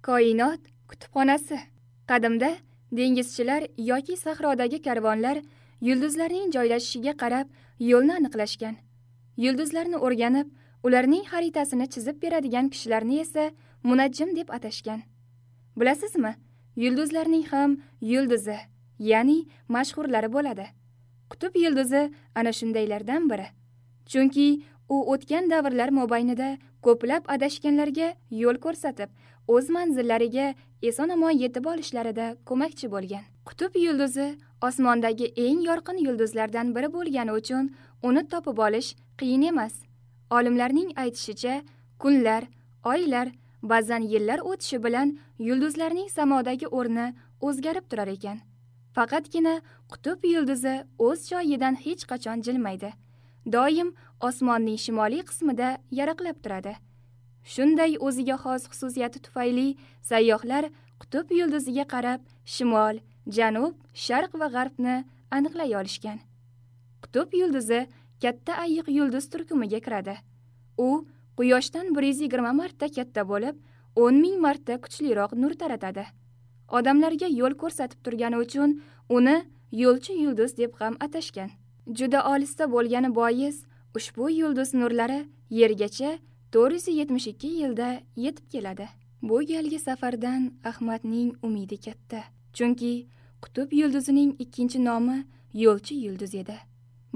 Koinot kutubxonasi. Qadimda dengizchilar yoki sahrodagi karvonlar yulduzlarning joylashishiga qarab yo'lni aniqlashgan. Yulduzlarni o'rganib, ularning xaritasini chizib beradigan kishilarni esa munajjim deb atashgan. Bilasizmi, yulduzlarning ham yulduzi, ya'ni mashhurlari bo'ladi. Qutb yulduzi ana shundaylardan biri. Chunki u o'tgan davrlar mobaynida ko'plab adashganlarga yo'l ko'rsatib, o'z manzillariga eson-omon yetib olishlarida ko'makchi bo'lgan. Qutb yulduzi osmondagi eng yorqin yulduzlardan biri bo'lgani uchun uni topib olish qiyin emas. Olimlarning aytishicha, kunlar, oylar, ba'zan yillar o'tishi bilan yulduzlarning samodagi o'rni o'zgarib turar ekan. Faqatgina qutb yulduzi o'z joyidan hech qachon jilmaydi. Doim osmonning shimoliy qismida yaraqlab turadi. Shunday o'ziga xos xususiyati tufayli sayyohlar qutb yulduziga qarab shimol, janub, sharq va g'arbni aniqlay olishgan. Qutb yulduzi katta ayiq yulduz turkumiga kiradi. U Quyoshdan 120 marta katta bo'lib, 10 ming marta kuchliroq nur taratadi. Odamlarga yo'l ko'rsatib turgani uchun uni yo'lchi yulduz deb ham atashgan. Juda olisda bo'lgani bois ushbu yulduz nurlari Yergacha 472 yilda yetib keladi. Bu galgi safardan Ahmadning umidi katta. Chunki qutb yulduzining ikkinchi nomi yo'lchi yulduz edi.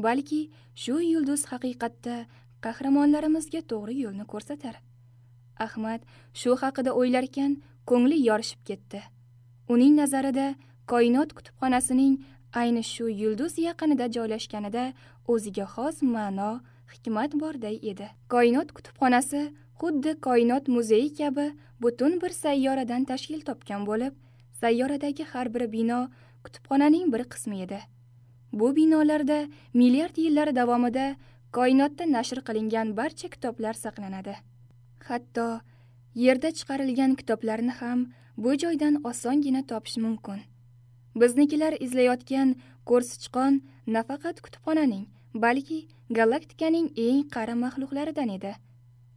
Balki shu yulduz haqiqatda qahramonlarimizga to'g'ri yo'lni ko'rsatar. Ahmad shu haqida o'ylarkan ko'ngli yorishib ketdi. Uning nazarida koinot kutubxonasining ayni shu yulduz yaqinida joylashganida o'ziga xos ma'no, hikmat borday edi. Koinot kutubxonasi xuddi koinot muzeyi kabi butun bir sayyoradan tashkil topgan bo'lib, sayyoradagi har bir bino kutubxonaning bir qismi edi. Bu binolarda milliard yillar davomida koinotda nashr qilingan barcha kitoblar saqlanadi. Hatto yerda chiqarilgan kitoblarni ham bu joydan osongina topish mumkin. Biznikilar izlayotgan ko'rsichqon nafaqat kutubxonaning, balki galaktikaning eng qari maxluqlaridan edi.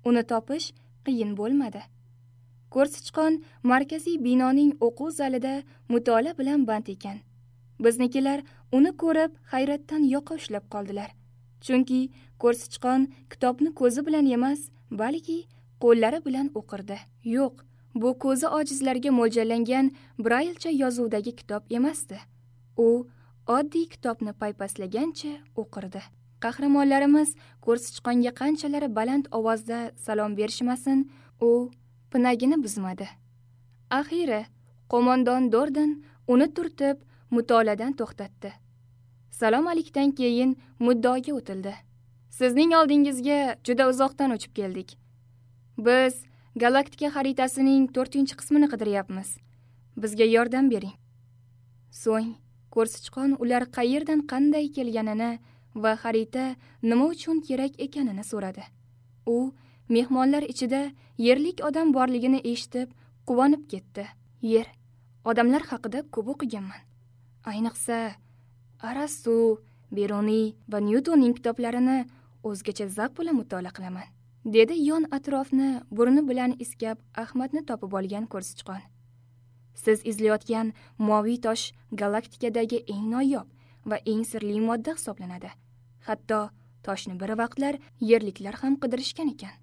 Uni topish qiyin bo'lmadi. Ko'rsichqon markaziy binoning o'quv zalida mutolaa bilan band ekan. Biznikilar uni ko'rib hayratdan yoqa ushlab qoldilar. Chunki ko'rsichqon kitobni ko'zi bilan emas, balki qo'llari bilan o'qirdi. Yo'q, bu ko'zi ojizlarga mo'ljallangan Braylcha yozuvdagi kitob emasdi. U oddiy kitobni paypaslagancha o'qirdi. Qahramonlarimiz ko'rsichqonga qanchalar baland ovozda salom berishmasin, u pinagini buzmadi. Axiri qo'mondon Dorden uni turtib mutolaadan to'xtatdi. Salom alikdan keyin muddaoga o'tildi. Sizning oldingizga juda uzoqdan uchib keldik. Biz galaktika xaritasining 4-qismini qidiryapmiz. Bizga yordam bering. So'ng ko'rsichqon ular qayerdan qanday kelganini va xarita nima uchun kerak ekanini so'radi. U mehmonlar ichida yerlik odam borligini eshitib quvonib ketdi. Yer odamlar haqida ko'p o'qiganman. Ayniqsa Arastu, Beruniy va Nyutonning kitoblarini o'zgacha zavq bilan mutolaa qilaman, dedi yon atrofni burni bilan iskab Ahmadni topib olgan ko'rsichqon. Siz izlayotgan moviy tosh galaktikadagi eng noyob va eng sirli modda hisoblanadi. Hatto toshni bir vaqtlar yerliklar ham qidirishgan ekan.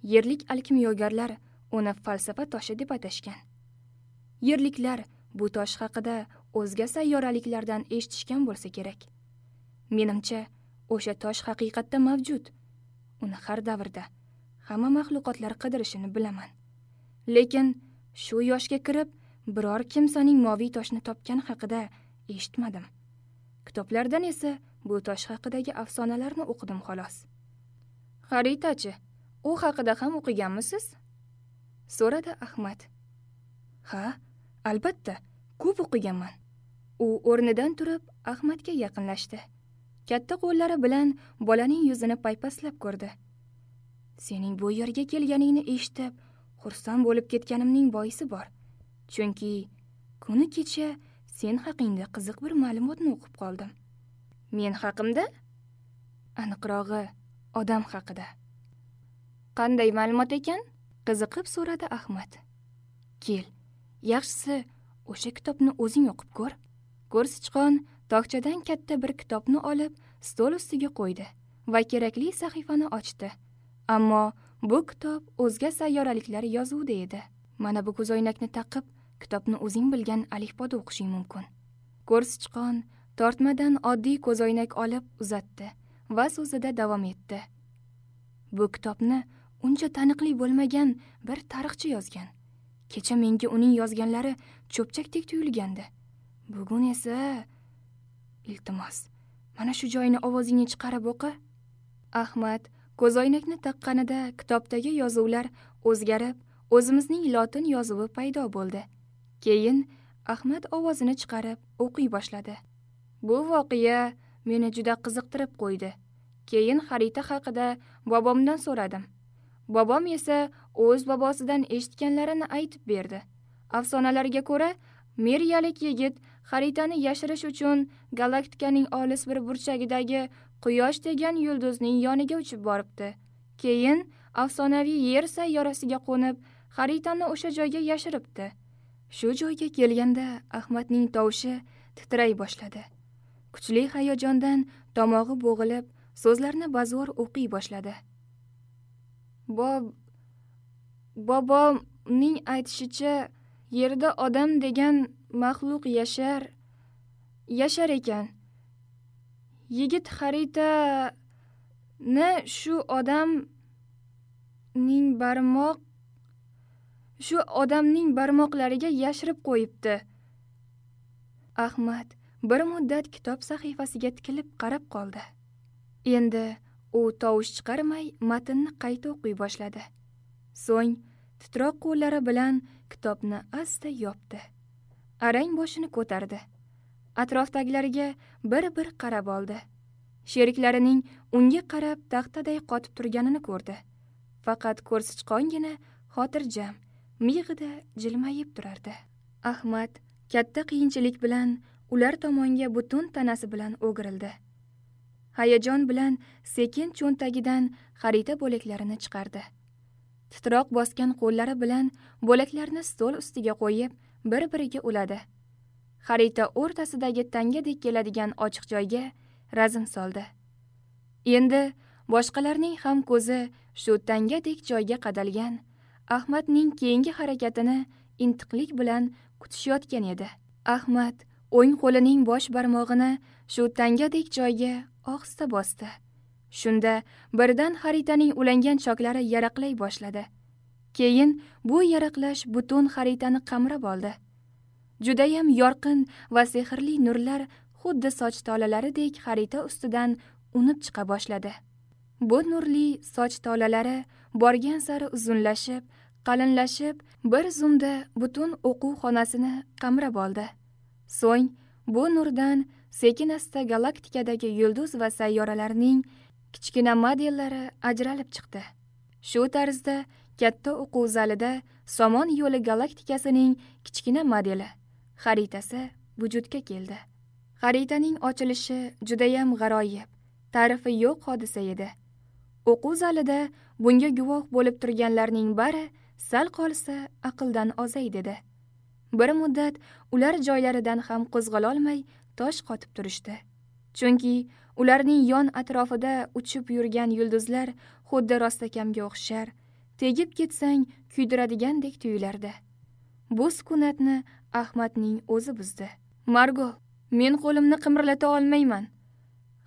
Yerlik alkimyogarlar uni falsafa toshi deb atashgan. Yerliklar bu tosh haqida o'zga sayyoraliklardan eshitishgan bo'lsa kerak. Menimcha, o'sha tosh haqiqatda mavjud. Uni har davrda hamma maxluqotlar qidirishini bilaman. Lekin shu yoshga kirib biror kimsaning moviy toshni topgani haqida eshitmadim. Kitoblardan esa bu tosh haqidagi afsonalarni o'qidim xolos. Xaritachi, u haqida ham o'qiganmisiz? So'radi Ahmad. Ha, albatta, ko'p o'qiganman. U o'rnidan turib Ahmadga yaqinlashdi. Katta qo'llari bilan bolaning yuzini paypaslab ko'rdi. Sening bu yerga kelganingni eshitib, xursand bo'lib ketganimning boisi bor. Chunki kuni kecha sen haqingda qiziq bir ma'lumotni o'qib qoldim. Men haqimda? Aniqrog'i, odam haqida. Qanday ma'lumot ekan? Qiziqib so'radi Ahmad. Kel, yaxshisi o'sha kitobni o'zing o'qib ko'r. Ko'rsichqon tokchadan katta bir kitobni olib stol ustiga qo'ydi va kerakli sahifani ochdi. Ammo bu kitob o'zga sayyoraliklar yozuvida edi. Mana bu ko'zoynakni taqib, kitobni o'zing bilgan alifboda o'qishing mumkin. Ko'rsichqon tortmadan oddiy ko'zoynak olib uzatdi va so'zida davom etdi. Bu kitobni uncha taniqli bo'lmagan bir tarixchi yozgan. Kecha menga uning yozganlari cho'pchakdek tuyulgandi. Bugun esa, iltimos, mana shu joyini ovozingni chiqarib o'qi. Ahmad ko'zoynakni taqqanida kitobdagi yozuvlar o'zgarib, o'zimizning lotin yozuvi paydo bo'ldi. Keyin Ahmad ovozini chiqarib o'qiy boshladi. Bu voqea meni juda qiziqtirib qo'ydi. Keyin xarita haqida bobomdan so'radim. Bobom esa o'z bobosidan eshitganlarini aytib berdi. Afsonalarga ko'ra, Meriyalik yigit xaritani yashirish uchun galaktikaning olis bir burchagidagi Quyosh degan yulduzning yoniga uchib boribdi. Keyin afsonaviy Yer sayyorasiga qo'nib, xaritani o'sha joyga yashiribdi. Shu joyga kelganda Ahmadning tovushi titray boshladi. Kuchli hayajondan tomog'i bo'g'ilib, so'zlarni bazo'r o'qiy boshladi. Bobomning aytishicha, yerda odam degan maxluq yashar ekan. Yigit xaritani shu odamning barmoqlariga yashirib qo'yibdi. Ahmad bir muddat kitob sahifasiga tikilib qarab qoldi. Endi u tovush chiqarmay matnni qayta o'qiy boshladi. So'ng titroq qo'llari bilan kitobni asta yopdi. Arang boshini ko'tardi. Atrofdagilarga bir-bir qarab oldi. Sheriklarining unga qarab taxtaday qotib turganini ko'rdi. Faqat ko'rsichqongina xotirjam, miyig'ida jilmayib turardi. Ahmad katta qiyinchilik bilan ular tomonga butun tanasi bilan o'girildi. Hayajon bilan sekin cho'ntagidan xarita bo'laklarini chiqardi. Titroq bosgan qo'llari bilan bo'laklarni stol ustiga qo'yib, bir-biriga uladi. Xarita o'rtasidagi tangadek keladigan ochiq joyga razm soldi. Endi boshqalarning ham ko'zi shu tangadek joyga qadalgan. Ahmadning keyingi harakatini intiqlik bilan kutishayotgan edi. Ahmad o'ng qo'lining bosh barmog'ini shu tangadek joyga ohista bosdi. Shunda birdan xaritaning ulangan choklari yaraqlay boshladi. Keyin bu yaraqlash butun xaritani qamrab oldi. Judayam yorqin va sehrli nurlar xuddi soch tolalaridek xarita ustidan unib chiqa boshladi. Bu nurli soch tolalari borgan sari uzunlashib, qalinlashib, bir zumda butun o'quv xonasini qamrab oldi. So'ng bu nurdan sekin-asta galaktikadagi yulduz va sayyoralarning kichkina modellari ajralib chiqdi. Shu tarzda katta o'quv zalida Somon yo'li galaktikasining kichkina modeli, xaritasi vujudga keldi. Xaritaning ochilishi judayam g'aroyib, ta'rifi yo'q hodisa edi. O'quv zalida bunga guvoh bo'lib turganlarning bari sal qolsa aqldan ozay dedi. Bir muddat ular joylaridan ham qo'zg'alolmay tosh qotib turishdi. Chunki ularning yon atrofida uchib yurgan yulduzlar xuddi rostakamga o'xshar, tegib ketsang kuydiradigandek tuyulardi. Bu sukunatni Ahmadning o'zi buzdi. Margol, men qo'limni qimirlata olmayman.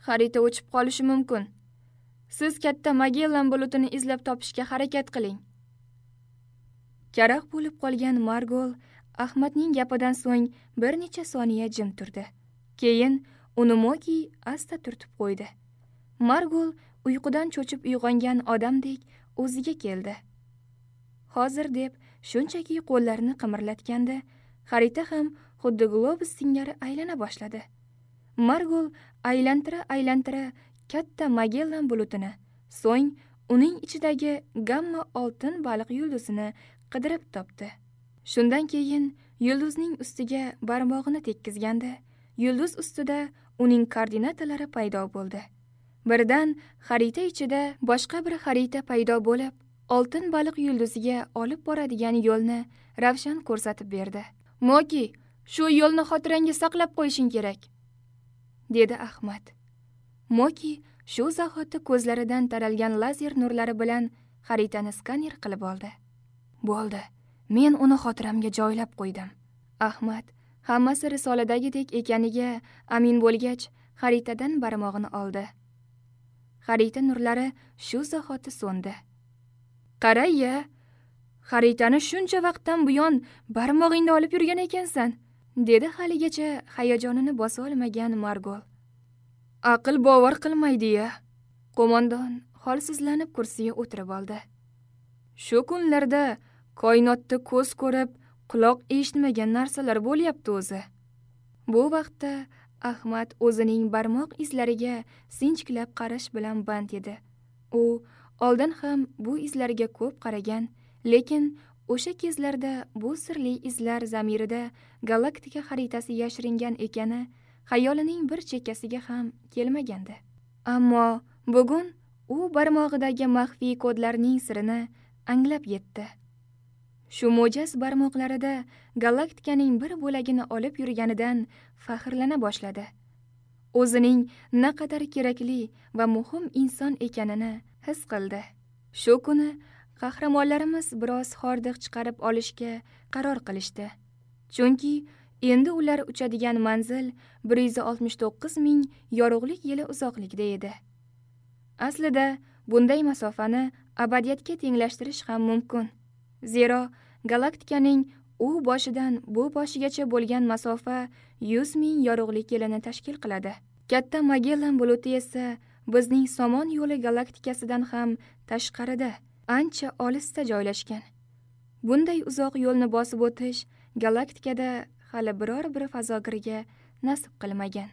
Xarita o'chib qolishi mumkin. Siz katta Magellan bulutini izlab topishga harakat qiling. Karax bo'lib qolgan Margol Ahmadning gapidan so'ng bir necha soniya jim turdi. Keyin uni Moki asta turtib qo'ydi. Margol uyqudan cho'chib uyg'ongan odamdek o'ziga keldi. Hozir deb shunchaki qo'llarini qimirlatganda xarita ham xuddi globus singari aylana boshladi. Margol aylantira-aylantira katta Magellan bulutini, so'ng uning ichidagi gamma oltin baliq yulduzini qidirib topdi. Shundan keyin yulduzning ustiga barmog'ini tekkizganda, yulduz ustida uning koordinatalari paydo bo'ldi. Birdan xarita ichida boshqa bir xarita paydo bo'lib, Oltin baliq yulduziga olib boradigan yo'lni ravshan ko'rsatib berdi. "Moki, shu yo'lni xotirangga saqlab qo'yishing kerak", dedi Ahmad. Moki shu zahoti ko'zlaridan taralgan lazer nurlari bilan xaritani skaner qilib oldi. "Bo'ldi, men uni xotiramga joylab qo'ydim." Ahmad hammasi risoladagidek ekaniga amin bo'lgach, xaritadan barmog'ini oldi. Xarita nurlari shu zahoti so'ndi. "Qara-ya, xaritani shuncha vaqtdan buyon barmog'ingda olib yurgan ekansan", dedi haligacha hayajonini bosa olmagan Margol. "Aql bovar qilmaydi-ya." Qo'mondon holsizlanib kursiga o'tirib oldi. "Shu kunlarda koinotda ko'z ko'rib, quloq eshitmagan narsalar bo'lyapti o'zi." Bu vaqtda Ahmad o'zining barmoq izlariga sinchiklab qarash bilan band edi. U oldin ham bu izlarga ko'p qaragan, lekin o'sha kezlarda bu sirli izlar zamirida galaktika xaritasi yashiringan ekani xayolining bir chekkasiga ham kelmagandi. Ammo bugun u barmog'idagi maxfiy kodlarning sirini anglab yetdi. Shu mo'jaz barmoqlarida galaktikaning bir bo'lagini olib yurganidan faxrlana boshladi. O'zining naqadar kerakli va muhim inson ekanini his qildi. Shu kuni qahramonlarimiz biroz hordiq chiqarib olishga qaror qilishdi. Chunki endi ular uchadigan manzil 169 ming yorug'lik yili uzoqlikda edi. Aslida bunday masofani abadiyatga tenglashtirish ham mumkin. Zero galaktikaning u boshidan bu boshigacha bo'lgan masofa 100 ming yorug'lik yilini tashkil qiladi. Katta Magellan buluti esa bizning Somon yo'li galaktikasidan ham tashqarida, ancha olisda joylashgan. Bunday uzoq yo'lni bosib o'tish galaktikada hali biror bir fazogirga nasib qilmagan.